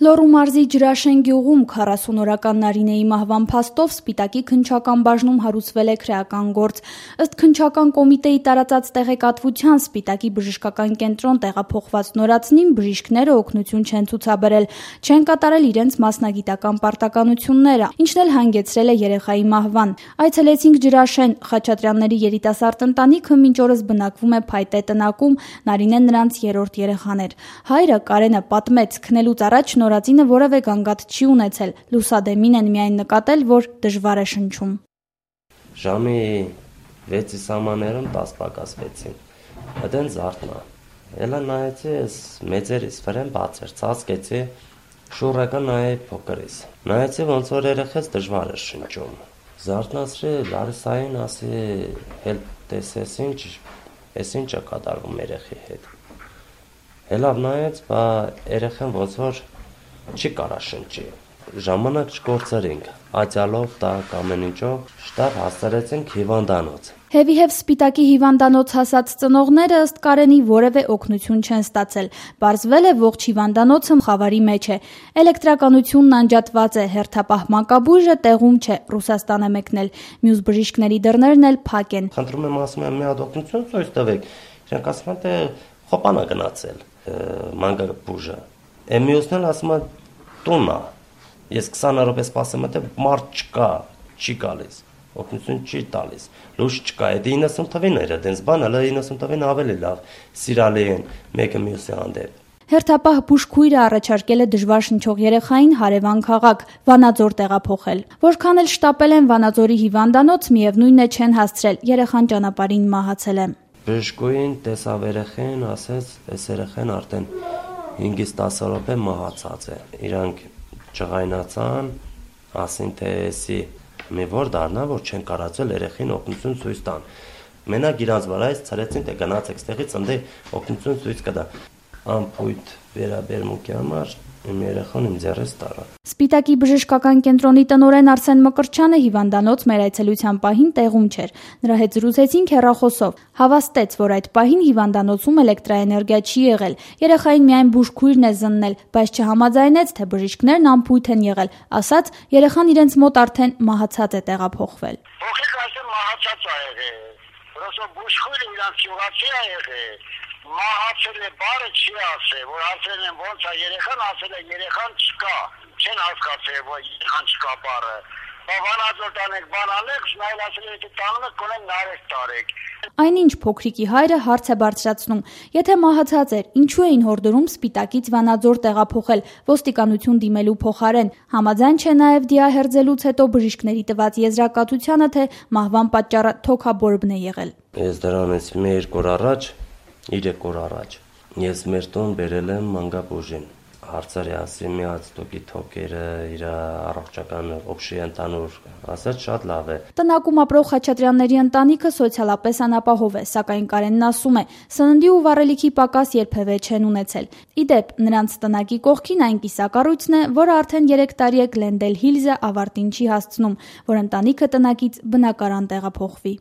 Լոռու մարզի Ջրաշեն գյուղում 40-օրական Նարինեի մահվան փաստով Սպիտակի քննչական բաժնում հարուցվել է քրեական գործ։ Ըստ քննչական կոմիտեի տարածած տեղեկատվության, Սպիտակի բժշկական կենտրոն տեղափոխված նորածնին բժիշկները օգնություն չեն ցուցաբերել, չեն կատարել իրենց մասնագիտական պարտականությունները, ինչն էլ հանգեցրել է երեխայի մահվան։ Այցելեցինք Ջրաշեն, Խաչատրյանների երիտասարդ ընտանիքը մինչ օրս բնակվում է Փայտե տնակում, Նարինեն նրանց երրորդ երեխան էր։ Հայրը Կարենը պատմեց, քնելուց առաջ նորածինը որևէ գանգատ չի ունեցել, լուսադեմին են միայն նկատել, որ դժվար է շնչում։ Ժամի 6-ի սահմաններում 10 պակաս 6-ին, այդեն զարթնա, էլա նայեցի ես մեծերիս վրեն բաց էր, ծածկեցի, շուրեկը նայեի փոքրիս, նայեցի ոնց որ երեխես դժվար էր շնչում, զարթնացրի Լարիսային, ասի հել տեսես ինչ է կատարվում երեխի հետ, հելավ նայեց, բա երեխեն ոնց որ չի կարա շնչի, ժամանակ չկործրինք, ատյալով, տակ ամեն ինչով, շտապ հասցրեցինք հիվանդանոց։ Հևիհև Սպիտակի հիվանդանոց հասած ծնողները ըստ Կարենի որևէ օգնություն չեն ստացել։ Պարզվել է ողջ հիվանդանոցը խավարի մեջ է։ Էլեկտրականությունն անջատված է, հերթապահ մանկաբույժը տեղում չէ, Ռուսաստան է մեկնել։ Մյուս բժիշկների դռներն էլ փակ են։ Խնդրում եմ, ասում եմ, մի հատ օգնություն ցույց տվեք։ Իրանք ասում են, թե խոպան է գնացել մանկաբույժը։ Մյուսն էլ ասում է տունն է։ Ես 20 րոպե սպասեմ, թե մարդ չկա, չի գալիս։ Օգնություն չի տալիս, լույս չկա, դա 90 թվին էր, դենց բան, հələ 90 թվին ավելի լավ, սիրալի են, մեկը մյուսի հանդեպ։ Հերթապահ բուժքույրը առաջարկել է դժվար շնչող երեխային հարևան քաղաք, Վանաձոր տեղափոխել։ Որքան էլ շտապել են Վանաձորի հիվանդանոց, միևնույն է չեն հասցրել, երեխան ճանապարհին մահացել է։ Բժշկուհին տեսավ երեխային, ասեց, այս երեխան արդեն 5-ից 10 րոպե մահացած է։ Իրանք ջղայնացան, ասին թե էսի մի որ դառնա, որ չեն կարացել երեխին օգնություն ցույց տան։ Մենակ իրանց վրայից ցրեցին, թե գնացեք ստեղից ընդ օգնություն ցույց կտա։ Անփույթ վերաբերմունքի համար իմ երեխան իմ ձեռից տարա։ Սպիտակի բժշկական կենտրոնի տնօրեն Արսեն Մկրտչյանը հիվանդանոց մեր այցելության պահին տեղում չէր։ Նրա հետ զրուցեցինք հեռախոսով։ Հավաստեց, որ այդ պահին հիվանդանոցում էլեկտրաէներգիա չի եղել։ Երեխային միայն բուժքույրն է զննել, բայց չհամաձայնեց, թե բժիշկներն անփույթ են եղել, ասաց, երեխան իրենց մոտ արդեն մահացած է տեղափոխվել։ Փոխեք այսօր մահացած է եղել։ Որովհետեւ բուժքույրը իրանք ճյուղացի է եղել։ Մահացել է բառը չի ասել, որ ասել են ոնց է երեխան, ասել է երեխան չկա, չեն հասկացել, որ երեխան չկա բառը։ Վանաձոր տանեք, բանալեք, նայել ասել է տանում եք, կոնեն նարեկ տարեք։ Այնինչ փոքրիկի հայրը հարց է բարձրացնում. եթե մահացած էր, ինչու էին հորդորում Սպիտակից Վանաձոր տեղափոխել ոստիկանություն դիմելու փոխարեն։ Համաձայն չէ նաև դիահերձելուց հետո բժիշկների տված եզրակացությանը, թե մահվան պատճառը թոքաբորբն է եղել։ Ես դրանից 1-2 օր առաջ 3 օր առաջ ես մեր տուն բերել եմ մանկաբույժին, հարցրի, ասի մի հատ ստուկի թոքերը, իր առողջական օբշի ընդհանուր, ասաց շատ լավ է։ Տնակում ապրող Խաչատրյանների ընտանիքը սոցիալապես անապահով է, սակայն Կարենն ասում է, սննդի ու վառելիքի պակաս երբևէ չեն ունեցել։ Ի դեպ, նրանց տնակի կողքին այն կիսակառույցն է, որը արդեն 3 տարի է Գլենդել Հիլզը ավարտին չի հասցնում, որ ընտանիքը տնակից բնակարան տեղափոխվի։